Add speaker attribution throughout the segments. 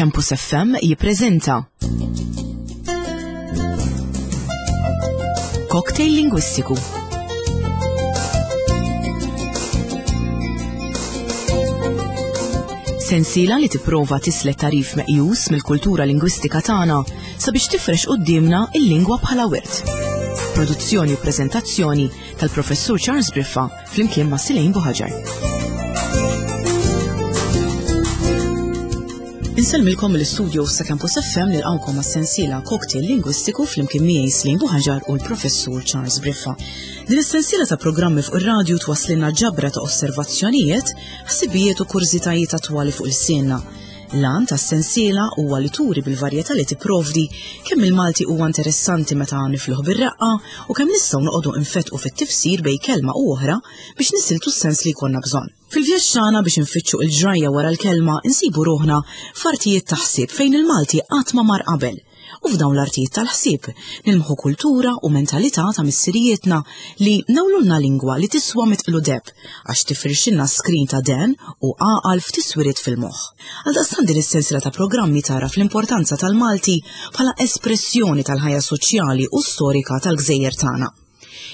Speaker 1: Campus FM jippreżenta Cocktail Lingwistiku. Sensiela li tipprova tislet tarif meqjus mill-kultura lingwistika tagħna sabiex tifrex quddiemna il-lingwa bħala wirt. Produzzjoni u preżentazzjoni tal-Professur Charles Briffa flimkien ma' Silejn Buħaġar. Insellmilkom mill-istudio sa' Campus FM nilqawkom għas-sensiela Cocktail Lingwistiku flimkien miegħi Slin Buħaġar u l-Professur Charles Briffa. Din is-sensiela ta' programmi fuq ir-radju twasslilna ġabra ta' osservazzjonijiet, ħsibijiet u kurżitajiet attwali fuq il-sienna. L-għan tas-sensiela huwa li turi bil-varjetà li tipprovdi kemm il-Malti huwa interessanti meta nifluh bir-reqqa u kemm nistgħu noqogħdu nfettqu fit-tifsir bejn kelma u oħra biex nisiltu s-sens li jkollna bżonn. Fil-vjaġġ tagħna biex infittxu il-ġrajja wara l-kelma insibu ruħna f'artijiet ta' ħsieb fejn il-Malti qatt ma mar qabel. U f'dawn l-artijiet tal-ħsieb nilmħu kultura u mentalità ta' missirijietna li nawlulna lingwa li tiswa mitqlu deb għax tifrixilna skrin ta' den u għaqal f'tiswiriet fil-moħħ. Għaldaqstant din is-sensiela ta' programmi tagħraf l-importanza tal-Malti bħala espressjoni tal-ħajja soċjali u storika tal-gżejjer tagħna.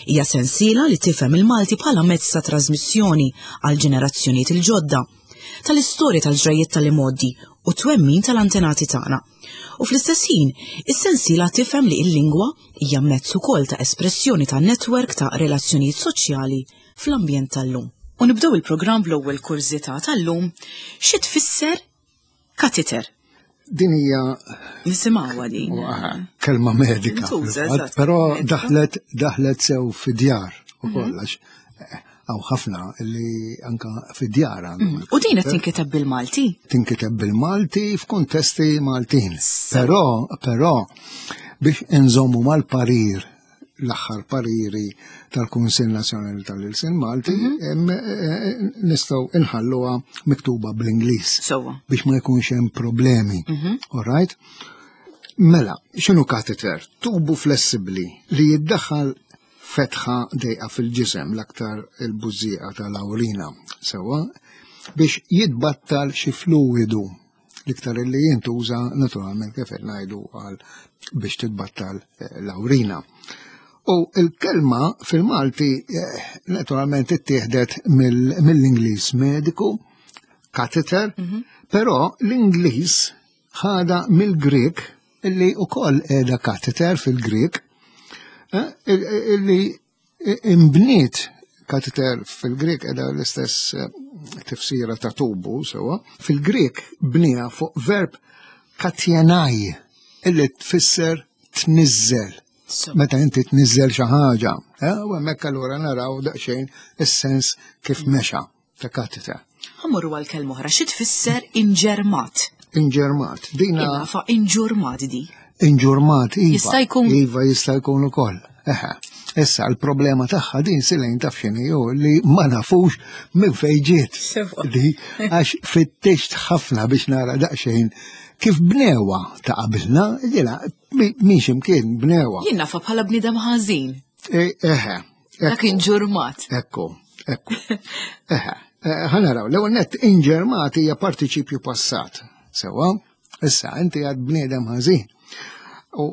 Speaker 1: Hija sensiela li tifhem il-Malti bħala mezz ta' trasmissjoni għal ġenerazzjonijiet il-ġodda, tal-istorja tal-ġrajjiet tal-imgħoddi u twemmin tal-antenati tagħna. U fl-istess ħin, is-sensiela tifhem li l-lingwa hija mezz ukoll ta' espressjoni ta' netwerk ta' relazzjonijiet soċjali fl-ambjent tal-lum. U nibdew il-programm bl-ewwel kurżità tal-lum, xi tfisser katiter?
Speaker 2: Din hija
Speaker 1: Nisimgħuha din.
Speaker 2: Kelma medika. Però daħlet daħlet sew fid-djar u mhm. kollox. Għaw ħafna li anka fid-djar għandhom.
Speaker 1: Mm. U din qed tinkiteb bil-Malti?
Speaker 2: Tinkiteb bil-Malti f'kuntesti Maltin. Però, però biex inżommu mal-parir l-aħħar pariri tal-Kunsill Nazzjonali tal-Ilsien Malti mhm. eh, eh, nistgħu inħalluha miktuba bl-Ingliż. Biex ma jkunx hemm problemi. Mhm. All right? Mela, x'inhu kateter? Tubu flessibbli li jiddaħħal fetħa dejqa fil-ġisem l-aktar il-bużieqa tal-awrina, sewwa, biex jitbattal xi fluwidu l-iktar li jintuża naturalment kif qed ngħidu għal biex titbattal eh, l-awrina. U il-kelma fil-Malti eh, naturalment ittieħdet mill-Ingliż mediku, catheter, mhm. però l-Ingliż ħada mill-Grek illi ukoll qiegħda catheter fil-Grek, eh, illi imbniet kateter fil-Grek edha l-istess eh, tifsira ta' tubu sewa. Fil-Grek bnija fuq verb katjenaj illi tfisser tniżżel. Meta inti tniżżel xi ħaġa, eh, u hemmhekk allura naraw daqsxejn is-sens kif mexa. ta' katita.
Speaker 1: Ħammorru għal kelma oħra, xi tfisser inġermat?
Speaker 2: Inġermat.
Speaker 1: Dina. Fa inġurmat di.
Speaker 2: Inġurmat, iva. Jista' jkun. Iva jista' jkun ukoll. Eħe. Issa l-problema tagħha din silejn taf x'inhi hu li ma nafux minn fejn ġiet. Di għax fittixt ħafna biex nara daqsxejn kif bnewa ta' qabilna, jiena minn x'imkien bnewa.
Speaker 1: Jien nafa bħala bniedem ħażin.
Speaker 2: E, eħe.
Speaker 1: Dak inġurmat.
Speaker 2: Ekku, ekku. Eħe, eh, ħanaraw, l-ewwel nett inġermat hija partiċipju passat. Sewa, issa inti għad bniedem ħażin. U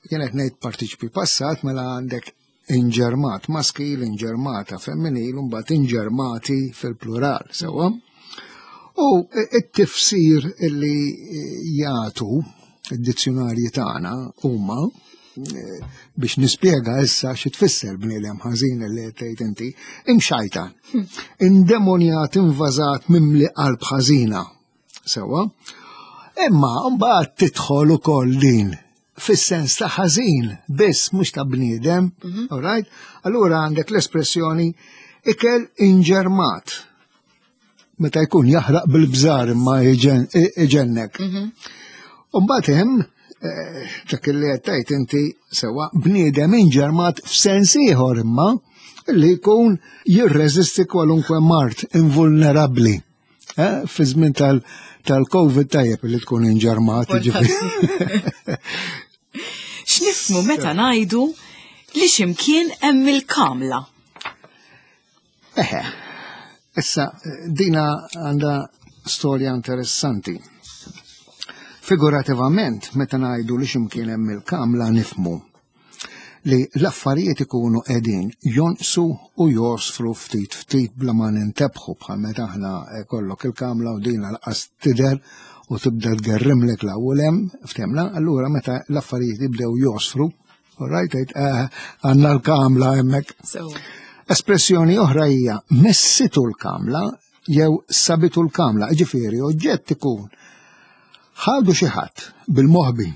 Speaker 2: jien qed ngħid partiċipju passat mela għandek inġermat maskil, inġermata femminil, u mbagħad inġermati fil-plural, sewa. U it-tifsir illi jagħtu id-dizzjonarji tagħna huma eh, biex nispjega issa xi tfisser bniedem ħażin li qed tgħid inti, imxajta, hmm. indemonjat, invażat, mimli qalb ħażina. Sewa. Imma mbagħad tidħol ukoll din fis-sens ta' ħażin biss mhux ta' bniedem, mhm. all right? Allura għandek l-espressjoni ikel inġermat. Meta jkun jaħraq bil-bżar imma iġennek. Mhm. U mbagħad hemm eh, dak li qed tgħid inti sewa bniedem inġermat f'sens ieħor imma li jkun jirreżisti kwalunkwe mart invulnerabbli. Eh, fi żmien tal-Covid tajjeb li tkun inġermat.
Speaker 1: X'nifhmu meta ngħidu li x'imkien hemm il-kamla?
Speaker 2: Eħe, issa dina għandha storja interessanti. Figurativament, meta ngħidu li x'imkien hemm il-kamla nifhmu li l-affarijiet ikunu qegħdin jonqsu u josfru ftit ftit bla ma nintebħu bħal meta aħna kollok il-kamla u din lanqas tidher u tibda tgerrimlek l-ewwel hemm, ftemna, allura meta l-affarijiet jibdew josfru, all right, tgħid eh, għandna l-kamla hemmhekk. Espressjoni oħra hija messitu l-kamla jew sabitu l-kamla, ġifieri oġġett ikun ħadu xi ħadd bil-moħbi,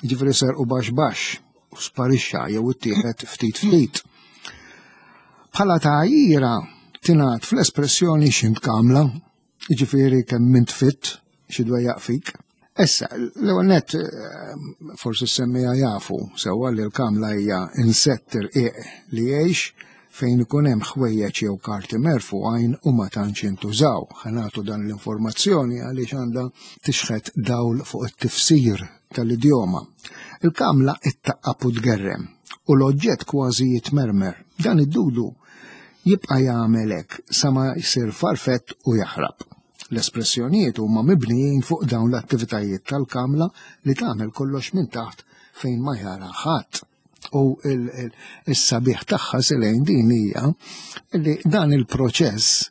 Speaker 2: ġifieri serqu baxx baxx u sparixxa jew ittieħed ftit ftit. Bħala tgħajjira tingħad fl-espressjoni x'int kamla, jiġifieri kemm int fit xi dwejjaq fik. Issa, l-ewwel nett eh, forsi semmija jafu sewwa li l-kamla hija insett irqiq li jgħix fejn ikun hemm ħwejjeġ jew karti merfugħin u ma tantx jintużaw. Ħa nagħtu dan l-informazzjoni għaliex għandha tixħet dawl fuq it-tifsir tal-idjoma. Il-kamla ittaqqab u tgerrem u l-oġġett kważi jitmermer. Dan id-dudu jibqa' jagħmel hekk sa ma jsir farfett u jaħrab. L-espressjonijiet huma mibnijin fuq dawn l-attivitajiet tal-kamla li tagħmel kollox minn taħt fejn ma jara ħadd. U s-sabiħ tagħha silejn din hija li dan il-proċess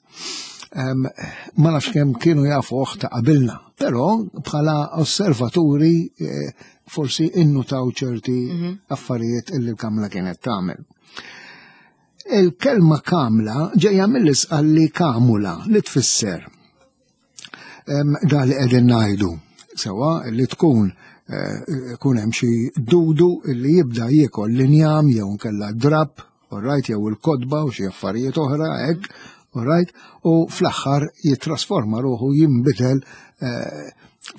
Speaker 2: ma nafx kemm kienu jafuh ta' qabilna, però bħala osservaturi eh, forsi innutaw ċerti mhm. affarijiet illi l-kamla kienet tagħmel. Il-kelma kamla ġejja mill-isqalli kamula li tfisser da li qegħdin ngħidu sewa li tkun eh, kun hemm xi dudu li jibda jiekol l-injam jew nkella drab, alright, jew il-kodba u xi affarijiet oħra hekk, alright, u fl-aħħar jittrasforma ruħu jinbidel eh,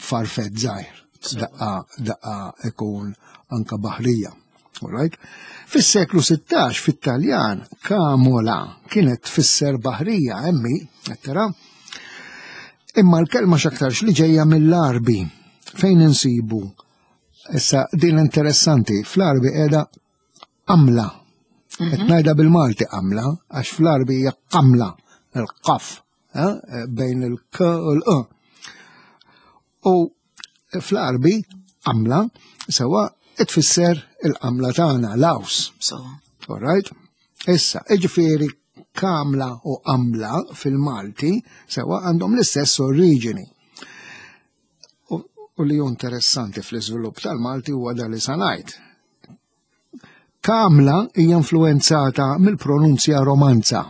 Speaker 2: farfett żgħir. Daqqa daqqa ikun anka baħrija. Alright? Fis-seklu 16 fit-Taljan kamola kienet tfisser baħrija emmi, qed tara? Imma l-kelma x'aktarx li ġejja mill-Għarbi fejn insibu. Issa din interessanti, fl-Għarbi qiegħda qamla. Qed mhm. ngħidha bil-Malti qamla għax fl-Għarbi hija qamla, il-qaf, eh, bejn il-k u l-q. U fl-Għarbi qamla sewa tfisser il-qamla tagħna, l-aws. All right? Issa, iġifieri kamla u qamla fil-Malti sewa għandhom l-istess oriġini. U li hu interessanti fl-iżvilupp tal-Malti huwa dan li sanajt. Kamla hija influenzata mill-pronunzja romanza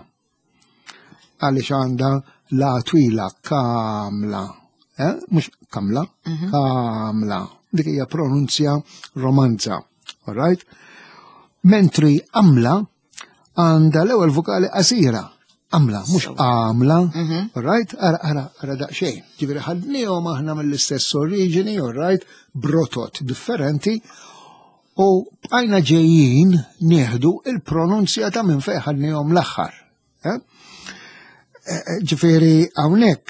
Speaker 2: għaliex għandha la twila kamla, eh? mhux kamla, mhm. kamla. Dik hija pronunzja romanza, all right? Mentri amla għandha l-ewwel vokali qasira. Amla, mhux għamla, mhm. all right? Ara, ara, ara daqsxejn. Ġifieri ħadnihom aħna mill-istess oriġini, all right? Brotot differenti U bqajna ġejjin nieħdu il-pronunzja ta' minn fejn ħadnihom l-aħħar. Eh? Eh, eh, ġifieri hawnhekk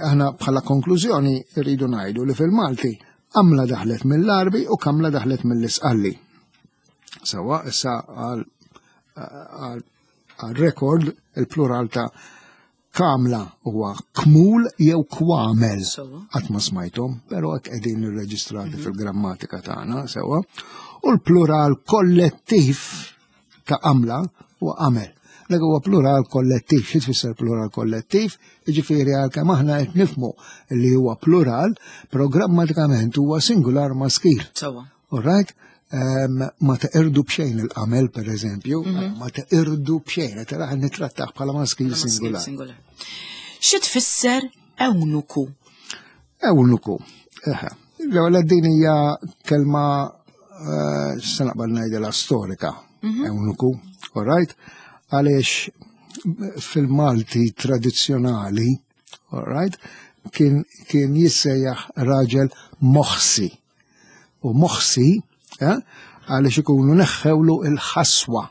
Speaker 2: aħna bħala konklużjoni rridu ngħidu li fil-Malti għamla daħlet mill-Arbi u kamla daħlet mill-Isqalli. Sawa issa għal rekord il-plural ta' Kamla huwa kmul jew kwamel. Qatt ma smajthom, però hekk qegħdin irreġistrati mhm. fil-grammatika tagħna sewwa. U l-plural kollettiv ta' għamla huwa għamel. Dak huwa plural kollettiv, xi tfisser plural kollettiv? Jiġifieri għalkemm aħna qed nifhmu li huwa plural, però grammatikament huwa singular maskil.
Speaker 1: Sewwa.
Speaker 2: All right? Um, ma teqirdu b'xejn il-qamel, per eżempju, mm -hmm. ma teqirdu b'xejn, qed raħ nittrattaħ bħala maskil singular.
Speaker 1: singular. Xi tfisser ewnuku?
Speaker 2: Ewnuku. Eħe. L-ewwel din hija kelma eh, se naqbad ngħidilha storika. Mhm. Ewnuku, all right? Għaliex fil-Malti tradizzjonali, all right, kien, kien jissejjaħ raġel moħsi. U moħsi, eh, għaliex ikunu neħħewlu il-ħaswa.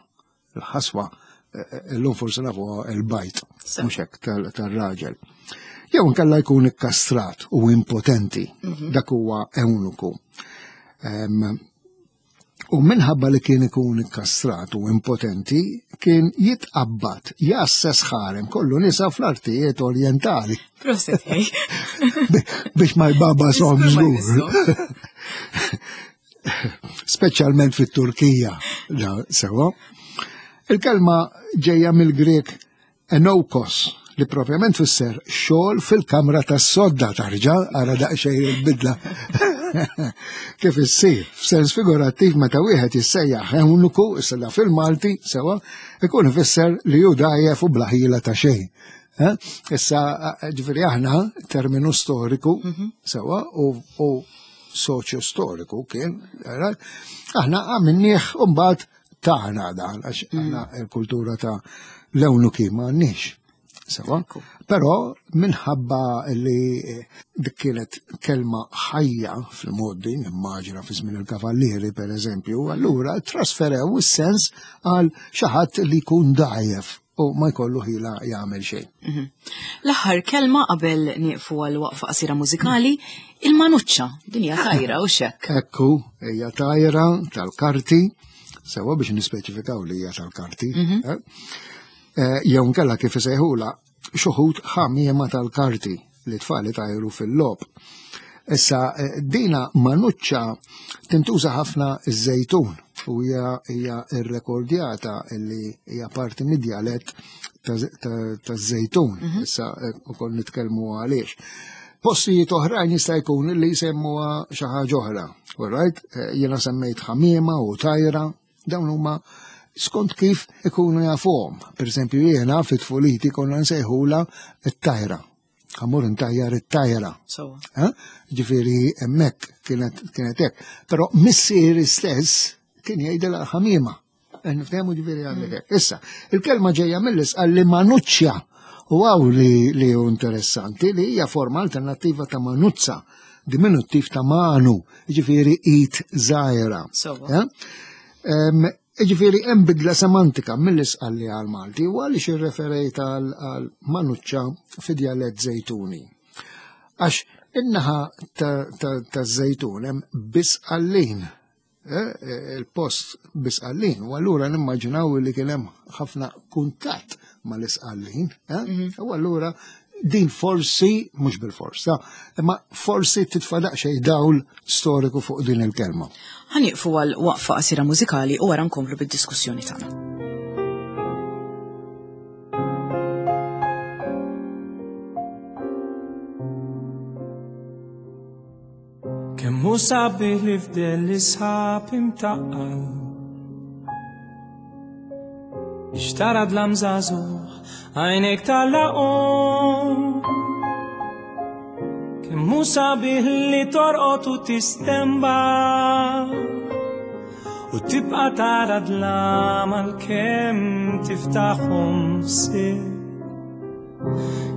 Speaker 2: Il-ħaswa, eh, eh, illum forsi nafu il-bajt, mhux hekk tal-raġel. Jew inkella jkun ikkastrat u impotenti, mhm. dak huwa eunuku. U minħabba li kien ikun ikkastrat u impotenti, kien jitqabbad jgħasses ħarem kollu nisa fl-artijiet orjentali.
Speaker 1: Proset,
Speaker 2: Biex ma jbaba som żgur. Speċjalment fit-Turkija, sewa. Il-kelma ġejja mill-Grek Enoukos, li propjament fisser xogħol fil-kamra tas-sodda tarġa' ara daqsxejn il-bidla. Kif issir, f'sens figurattiv meta wieħed jissejjaħ eunuku, issa fil-Malti, sewa, ikun ifisser li hu dgħajjef u bla ħila ta' xejn. Eh? Issa, ġifieri aħna terminu storiku, mhm. sewa, u soċju storiku kien, aħna għamilnieh u mbagħad tagħna dan għax mm. aħna l-kultura ta' l-ewnuki ma għandniex. Sewa. Però minħabba li eh, dik kienet kelma ħajja fil-modi, nimmaġina fi żmien il-kavallieri per eżempju, allura trasferew is-sens għal xi ħadd li jkun dgħajjef u ma jkollu ħila jagħmel xejn. Mhm.
Speaker 1: L-aħħar kelma qabel nieqfu għal waqfa qasira mużikali, il-manuċċa, din hija tajra u xekk.
Speaker 2: Ekku, hija tajra tal-karti, sewa biex nispeċifikaw li hija tal-karti. Mhm. Eh? Eh, jew nkella kif isejħula xuħut ħamiema tal-karti li tfali tajru fil-lob. Issa, eh, dina manuċċa tintuża ħafna iż-żejtun u hija hija rrekordjata li hija parti mid-djalett taż-żejtun. Mhm. Issa eh, ukoll nitkellmu għaliex. Postijiet oħrajn jista' jkun li jsemmuha xi ħaġa oħra. All right? Eh, jiena semmejt ħamiema u tajra, dawn huma skont kif ikunu jafuhom. Per eżempju, jiena fit-tfuliti konna nsejħula t-tajra. Għamur ntajjar it-tajra. Eh? Ġifieri hemmhekk kienet kienet hekk. Però missieri stess kien jgħidilha ħamiema. Eh, niftehmu ġifieri għandek mm. hekk. Issa, il-kelma ġejja mill-isqal li manuċċja u għaw li li hu interessanti li hija forma alternattiva ta' manuzza, diminuttiv ta' manu, ġifieri it żgħira. Eh? Jiġifieri hemm bidla semantika mill-Isqalli għall-Malti u għaliex irreferejt għal manuċċa fi djalett Żejtuni. Għax in-naħa taż-Żejtun hemm Bisqallin, eh, il-post Bisqallin, u allura nimmaġinaw li kien hemm ħafna kuntatt mal-Isqallin, eh? mhm. u allura din forsi, mhux bil-forsa, imma forsi titfa' daqsxejn dawl storiku fuq din il-kelma.
Speaker 1: Ħa nieqfu għal waqfa qasira mużikali u wara nkomplu bid-diskussjoni tagħna.
Speaker 3: Kemm hu sabiħ li fdel l-isħab imtaqqal. Biex tara dlam żagħżugħ għajnejk tagħlaqhom. Kemm hu sabiħ li torqod u tistemba u tibqa' tara dlam għalkemm tiftaħhom sir.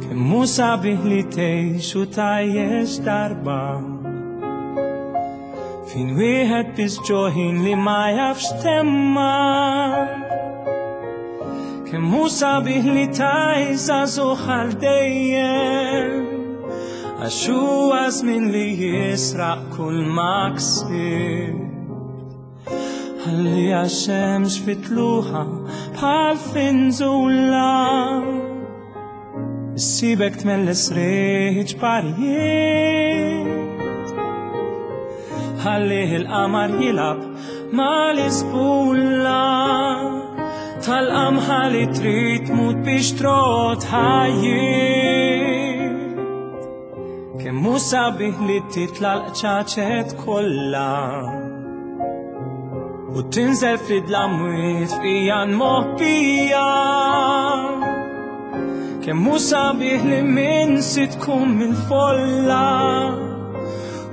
Speaker 3: Kemm hu sabiħ li tgħix u tgħajjex darba. Fin wieħed biss ġoħin li ma jafx temma. Kemm hu sabiħ li tgħix żagħżugħ għal dejjem. Għax huwa żmien li jisraq kull ma ksib. Ħalli għax-xemx fitluħa bħal finżula. Issibek tmelles riħ ġbarijiet. Ħalli il-qamar jilab mal-isbulla tal-qamħa li trid tmut biex trot ħajjiet. Kemm hu sabiħ li titla' l-qċaċet kollha u tinżel fid-dlamwiet f'ijan moħbija. Kemm hu sabiħ li minn si tkun mill-folla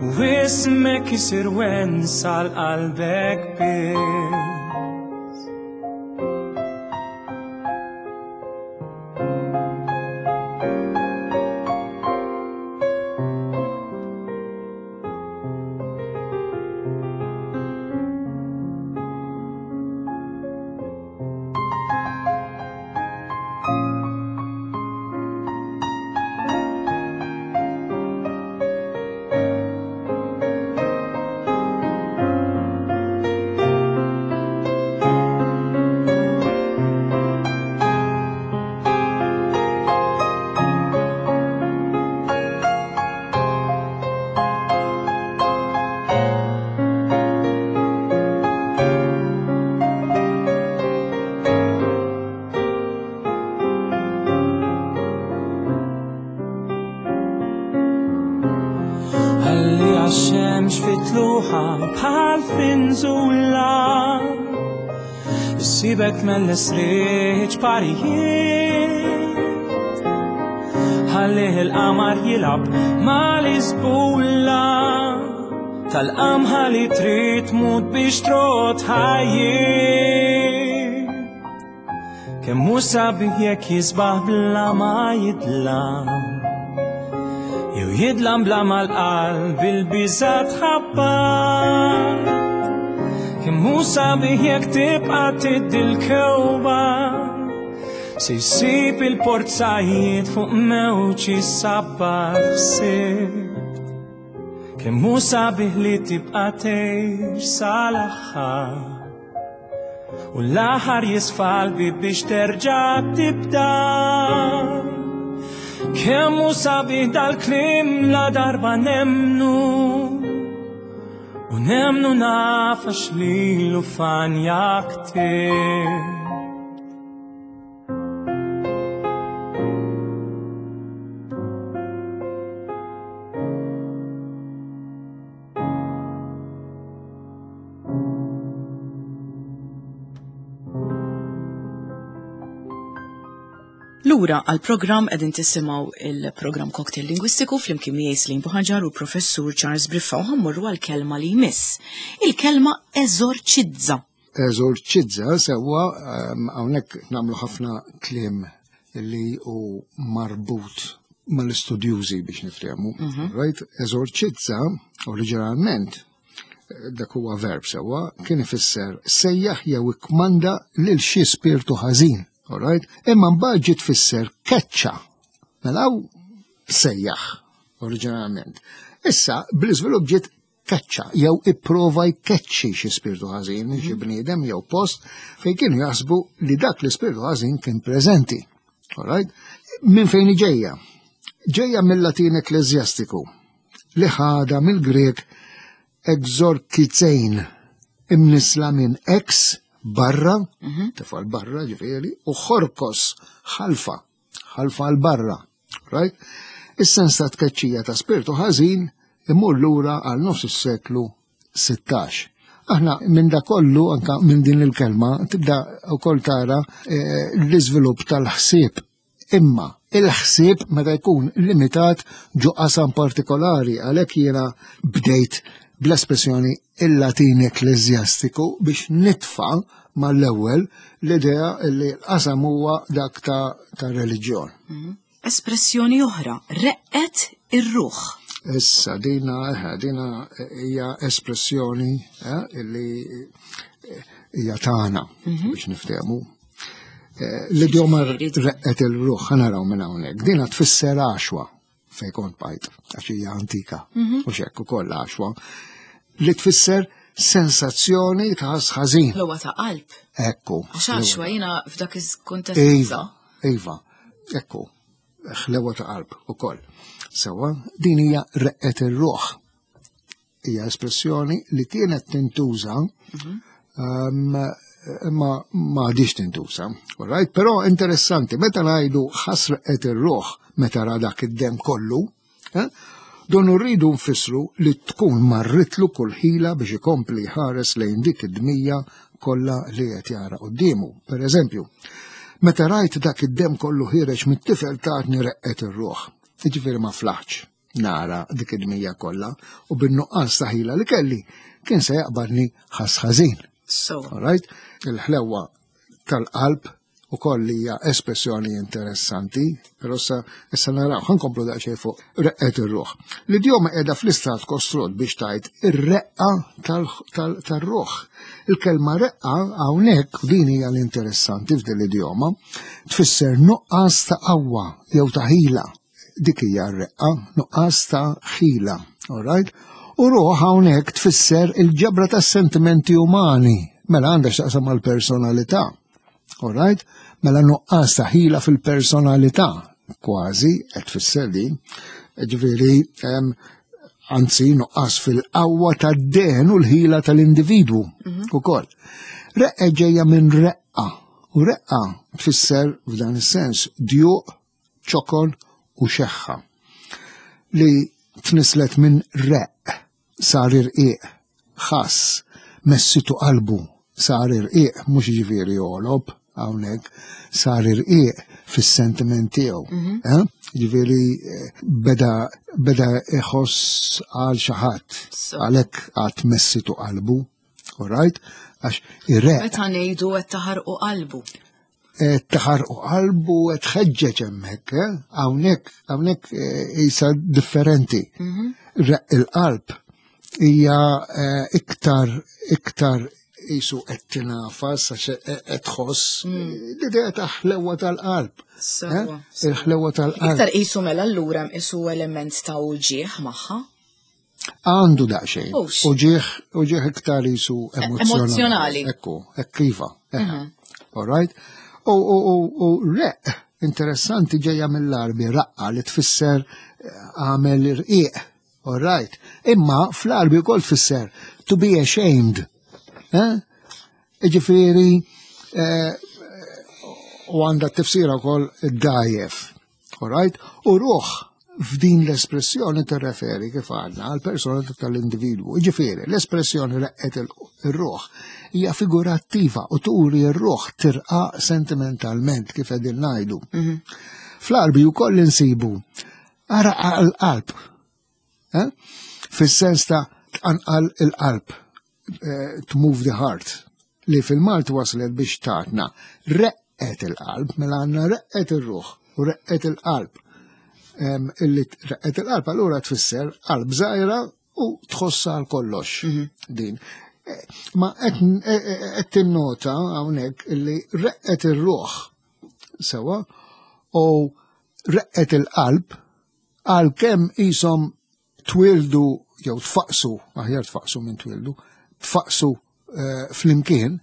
Speaker 3: u ismek isir wensa l-qalbek biss. xemx fit-tluħa bħal finżula. Issibek mell-isriħ parijiet. Ħallih il-qamar jilgħab mal-isbulla tal-qamħa li trid tmut biex trot ħajjiet. Kemm hu sabiħ jekk jisbaħ bla ma jidlam. Jew jidlam bla mal-qalb il-biża tħabbar. Kemm hu sabiħ jekk tibqa' tiddi l-kewba. Se jsib il-porzajiet fuq mewġ isabbar ħsieb. Kemm hu sabiħ li tibqa' tgħix sal-aħħar. U l-aħħar jisfa l-bib biex terġa' tibda. Kemm hu sabiħ dal-kliem la darba nemnu. U nemnu naf għax lilu fanja ktieb.
Speaker 1: Lura għal-programm qegħdin tisimgħu il-programm Cocktail Lingwistiku flimkien miegħi Slim Buħaġar u Professur Charles Briffa u ħammorru għall-kelma li jmiss. Il-kelma eżorċizza.
Speaker 2: Eżorċizza sewwa ehm, hawnhekk nagħmlu ħafna kliem li hu marbut mal-istudjużi biex niftehmu. Mhm. Right? Eżorċizza oriġinalment dak huwa verb sewwa, kien ifisser sejjaħ jew ikkmanda lil xi spirtu ħażin, alright? Imma mbagħad ġiet tfisser keċċa. Mela sejjaħ oriġinalment. Issa bl-iżvilupp ġiet keċċa jew ipprova jkeċċi xi spirtu ħażin minn xi mhm. bniedem jew post fejn kienu jaħsbu li dak l-ispirtu ħażin kien preżenti. Alright? Minn fejn ġejja? Ġejja mill-Latin ekklesjastiku li ħadha mill-Grieg exorkizein, imnisla minn ex, barra, mhm. tefal barra ġifieri, u ħorkos, ħalfa, ħalfa l barra. Right? Is-sens ta' tkeċċija ta' spirtu ħażin imur lura għal nofs is-seklu 16. Aħna minn da kollu, anka minn din il-kelma, tibda wkoll tara eh, l-iżvilupp tal-ħsieb Imma il-ħsieb meta jkun limitat ġo qasam partikolari għalhekk jiena bdejt bl-espressjoni il-Latin ekkleżjastiku biex nitfa' mal-ewwel l-idea li l-qasam huwa dak ta', ta reliġjon.
Speaker 1: Mhm. Espressjoni oħra, reqqet ir-ruħ.
Speaker 2: Issa dina eh, dina hija espressjoni eh, li eh, hija tagħna mhm. biex niftehmu. Eh, l-idjoma reqqet il-ruħ, ħanaraw minn hawnhekk. Dina tfisser għaxwa fej kont bajt, għax hija antika, mhm. u xekk ukoll għaxwa, li tfisser sensazzjoni ta' ħażin.
Speaker 1: L ta' qalb.
Speaker 2: Ekku.
Speaker 1: Għax għaxwa jiena f'dak il-kuntest.
Speaker 2: Iva, iva, ekku, ħlewa ta' qalb ukoll. Sewa, din hija reqqet ir-ruħ. hija espressjoni li kienet tintuża mhm. um, imma ma għadix tintuża. Right? Però interessanti, meta ngħidu ħasrqet ir-ruħ meta ra dak id-dem kollu, eh, don rridu nfissru li tkun marritlu kull ħila biex ikompli ħares lejn dik id-dmija kollha li qed jara quddiemu. Per eżempju, meta rajt dak id-dem kollu ħireġ mit-tifel tatni reqqet ir-ruħ. Jiġifieri ma flaħx. nara dik id-dmija kollha u bin-nuqqas ta' ħila li kelli kien se jaqbadni ħass ħażin.
Speaker 1: So.
Speaker 2: Right? Il-ħlewa tal-qalb u koll hija espressjoni interessanti, però sa issa naraw ħankomplu daqsxejn fuq reqqet ir-ruħ. L-idjoma qiegħda fl-istat kostrut biex tgħid ir-reqqa tal-ruħ. Il-kelma reqqa hawnhekk din hija l-interessanti f'din l-idjoma tfisser nuqqas ta' qawwa jew ta' ħila. Dik hija r-reqqa, nuqqas ta' ħila, all right? U ruħ hawnhekk tfisser il-ġabra tas-sentimenti umani, mela għandha x'taqsam mal-personalità. All right? Mela nuqqas ta' ħila fil-personalità, kważi qed tfisser din. Ġifieri, anzi nuqqas fil-qawwa tad-dehen u l-ħila tal-individwu mhm. ukoll. Reqqa ġejja minn reqqa, u reqqa tfisser f'dan is-sens djuq ċokon u xeħħa li tnislet minn req. sar irqiq, ħass, messitu qalbu, sar irqiq, mhux jiġifieri għolob hawnhekk, sar irqiq fis-sentiment tiegħu. Mhm. Eh? Jiġifieri eh, beda beda iħoss għal xi ħadd, għalhekk għad messitu qalbu, all right? Għax
Speaker 1: irreq. Meta ngħidu qed taħarqu qalbu.
Speaker 2: Qed taħarqu qalbu qed tħeġġeġ hemmhekk, eh? Hawnhekk hawnhekk isa differenti. Mhm. Req il-qalb hija iktar iktar jisu qed tingħafas għax qed tħoss mm. l-idea ta' ħlewa tal-qalb. Eh? Il-ħlewa tal-qalb.
Speaker 1: Iktar qisu mela allura qisu element ta' uġieħ magħha.
Speaker 2: Għandu daqsxejn. Uġieħ uġieħ iktar qisu
Speaker 1: emozjonali.
Speaker 2: Ekku, hekk iva. Mhm. All right? U u req interessanti ġejja mill-arbi raqqa li tfisser eh, għamel irqiq. All right. Imma fl-Arbi wkoll tfisser to be ashamed. Eh? Ġifieri eh, u għandha tifsira wkoll dajef. All right? U ruħ f'din l-espressjoni tirreferi kif għadna għal persona tal-individwu. Ġifieri, l-espressjoni reqqet il-ruħ hija figurattiva u turi r-ruħ tirqa sentimentalment kif qegħdin ngħidu. Mhm. Fl-Arbi wkoll insibu Ara għal-qalb. Eh? Fis-sens ta' tqanqal il-qalb, eh, to move the heart, li fil-Malt waslet biex tatna reqqet il-qalb, mela għandna reqqet ir-ruħ u reqqet il-qalb. Illi reqqet il-qalb allura tfisser qalb żgħira u tħossa għal kollox mhm. din. Eh, ma qed tinnota hawnhekk illi reqqet ir-ruħ sewa u reqqet il-qalb għalkemm qishom twildu jew tfaqsu, aħjar tfaqsu minn twildu, tfaqsu eh, flimkien,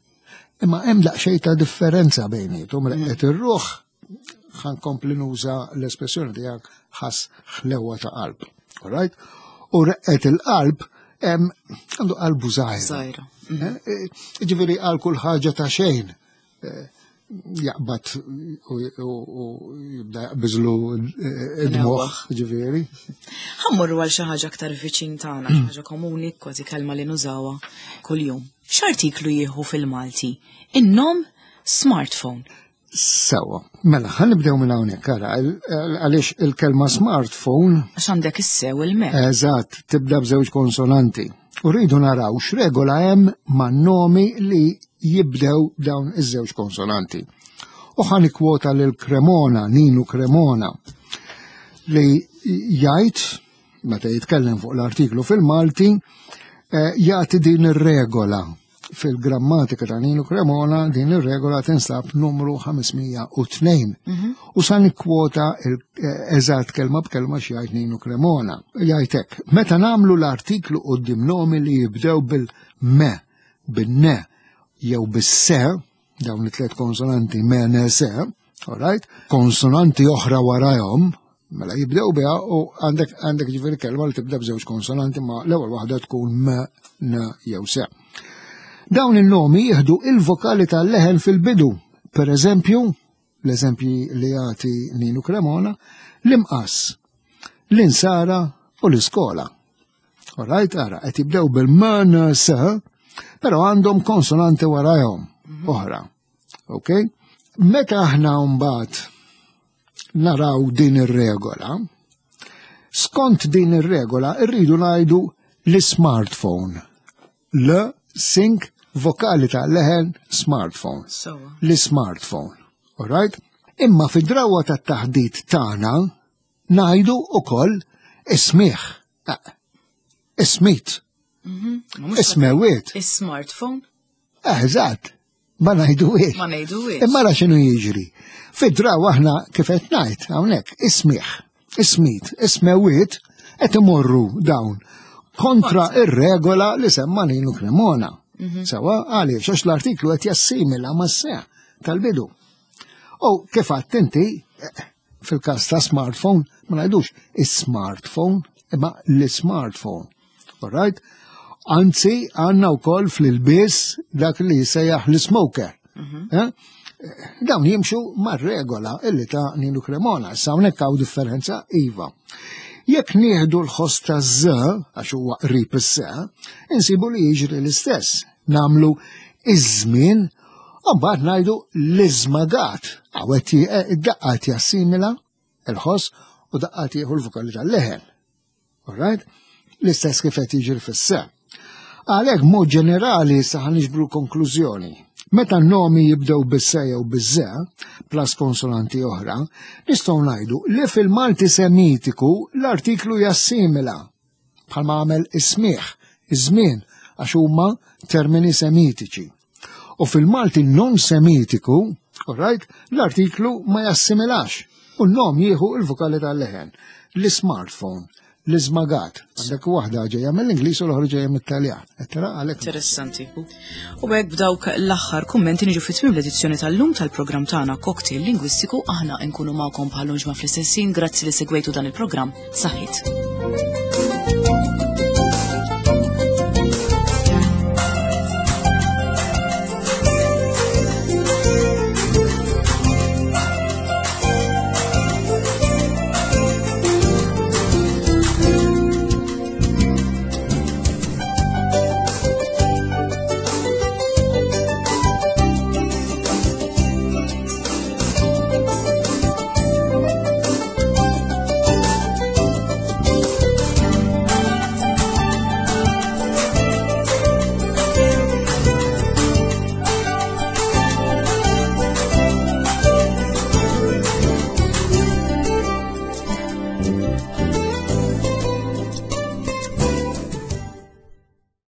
Speaker 2: imma hemm daqsxejn ta' differenza bejnietom, reqqet mm. ir-ruħ ħankompli nuża l-espressjoni tiegħek ħass ħlewa ta' qalb. All right? U reqqet il-qalb għandu qalbu żgħira.
Speaker 1: Żgħira.
Speaker 2: Mm. Eh, eh, ġifieri għal kull ħaġa ta' xejn. Jaqbad u jibda jaqbiżlu id-moħ, ġifieri.
Speaker 1: Ħammurru għal xi ħaġa aktar viċin tagħna, xi ħaġa komuni, kważi kelma li nużawha kuljum. X'artiklu jieħu fil-Malti? In-nom smartphone.
Speaker 2: Sewa, mela, ħan nibdew minn hawnhekk, ara, għaliex il-kelma smartphone.
Speaker 1: Għax għandek is-sew il-me.
Speaker 2: Eżatt, tibda b'żewġ konsonanti. U rridu naraw x'regola hemm man-nomi li jibdew dawn iż-żewġ konsonanti. U ħan ikkwota lil Cremona, Ninu Cremona, li jgħid, meta jitkellem fuq l-artiklu fil-Malti, eh, jagħti din ir-regola fil-grammatika ta' Nino Cremona din ir-regola tinsab numru 502. Mhm. U sa nikkwota eh, eżatt kelma b'kelma x'jgħid Nino Cremona. Jgħid hekk, meta nagħmlu l-artiklu quddiem nomi li jibdew bil-me, bin-ne jew bis-se, dawn it-tliet konsonanti me, ne, se, all right? Konsonanti oħra warajhom, mela jibdew biha u għandek għandek ġifieri kelma li tibda b'żewġ konsonanti ma l-ewwel waħda tkun m, n jew se. Dawn il-nomi jieħdu il-vokali tal-leħen fil-bidu. Per eżempju, l-eżempji li jagħti Ninu Cremona, l-imqas, l-insara u l-iskola. Alright, ara, qed jibdew bil-m, n, s, però għandhom konsonanti warajhom mhm. oħra. Ok? Meta aħna mbagħad naraw din ir-regola, skont din ir-regola rridu ngħidu l-smartphone. L sink vokali ta' leħen smartphone. L-smartphone. Alright? Imma fid-drawa tat-taħdit tagħna ngħidu ukoll ismiħ. Eh, ismit. Mhm. Ismewiet.
Speaker 1: Is-smartphone.
Speaker 2: Eh, eżatt. Ma ngħiduhiex.
Speaker 1: Ma ngħiduhiex.
Speaker 2: Imma ra x'inhu jiġri. Fid-draw aħna kif qed ngħid hawnhekk ismiħ, ismit, ismewiet qed imorru dawn kontra ir-regola li semma Ninu Cremona. Mhm. Sewa għaliex għax l-artiklu qed jassimila mas-seħ tal-bidu. U kif għadt inti, eh, fil-każ ta' smartphone, ma ngħidux is-smartphone, imma l-smartphone. All right? Anzi, għanna wkoll fl-ilbies dak li jisejjaħ l-smoker. Mhm. Eh? Dawn jimxu mar-regola illi ta' Ninu Cremona. Issa hawnhekk hawn differenza iva. Jekk nieħdu l-ħoss ta' z, għax huwa qrib is-se, insibu li jiġri l-istess. Namlu iż-żmien u mbagħad ngħidu l-iżmagat. Hawn eh, id-daqqa jassimila il-ħoss u daqqa tieħu l-vokali tal-leħen. Alright? L-istess kif qed jiġri fis-se. Għalhekk mod ġenerali sa niġbru konklużjoni. Meta n-nomi jibdew bis-se jew biż-ze, plus konsonanti oħra, nistgħu ngħidu li fil-Malti Semitiku l-artiklu jassimila bħalma għamel is-smigħ, iż-żmien, għax huma termini semitiċi. U fil-Malti non semitiku, alright, l-artiklu ma jassimilax u n-nom jieħu il-vokali tal-leħen. L-smartphone, l-iżmagat. Għandek waħda ġejja mill-Ingliż u l-oħra ġejja mit-Taljan. Tara għalhekk.
Speaker 1: Interessanti. U hekk b'dawk l-aħħar kummenti niġu fi tmiem l-edizzjoni tal-lum tal-programm tagħna Cocktail Lingwistiku aħna nkunu magħkom bħal ġimgħa fl-istess ħin. Grazzi li segwejtu dan il-programm. Saħħit.